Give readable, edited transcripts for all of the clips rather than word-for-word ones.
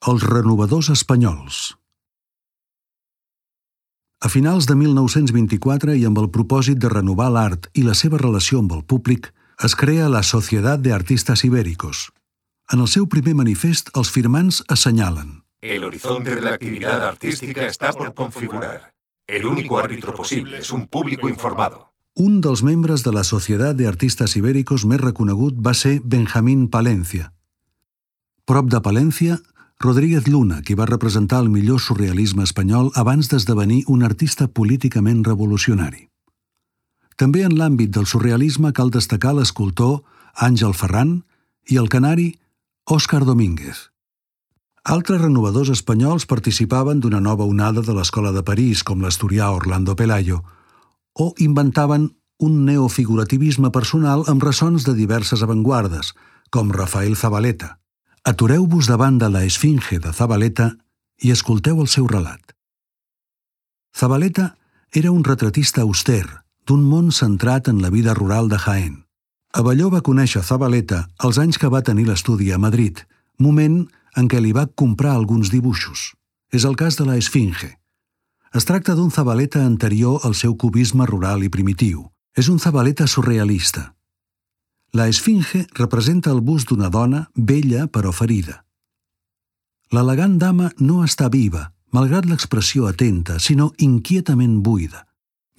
Els renovadors espanyols. A finals de 1924 i amb el propòsit de renovar l'art i la seva relació amb el públic, es crea la Sociedad de Artistas Ibéricos. En el seu primer manifest, els firmants assenyalen: El horizonte de la actividad artística está por configurar. El único árbitro posible es un público informado. Un dels membres de la Sociedad de Artistas Ibéricos més reconegut va ser Benjamín Palencia. Prop de Palencia, Rodríguez Luna, qui va representar el millor surrealisme espanyol abans d'esdevenir un artista políticament revolucionari. També en l'àmbit del surrealisme cal destacar l'escultor Àngel Ferran i el canari Òscar Domínguez. Altres renovadors espanyols participaven d'una nova onada de l'Escola de París, com l'asturià Orlando Pelayo, o inventaven un neofigurativisme personal amb ressons de diverses avantguardes, com Rafael Zabaleta. Atureu-vos davant de la Esfinge de Zabaleta i escolteu el seu relat. Zabaleta era un retratista auster, d'un món centrat en la vida rural de Jaén. Abelló va conèixer Zabaleta els anys que va tenir l'estudi a Madrid, moment en què li va comprar alguns dibuixos. És el cas de la Esfinge. Es tracta d'un Zabaleta anterior al seu cubisme rural i primitiu. És un Zabaleta surrealista. La Esfinge representa el bust d'una dona bella però ferida. L'elegant dama no està viva, malgrat l'expressió atenta, sinó inquietament buida.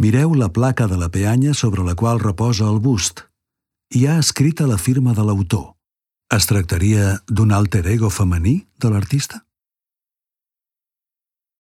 Mireu la placa de la peanya sobre la qual reposa el bust. Hi ha escrita la firma de l'autor. Es tractaria d'un alter ego femení de l'artista?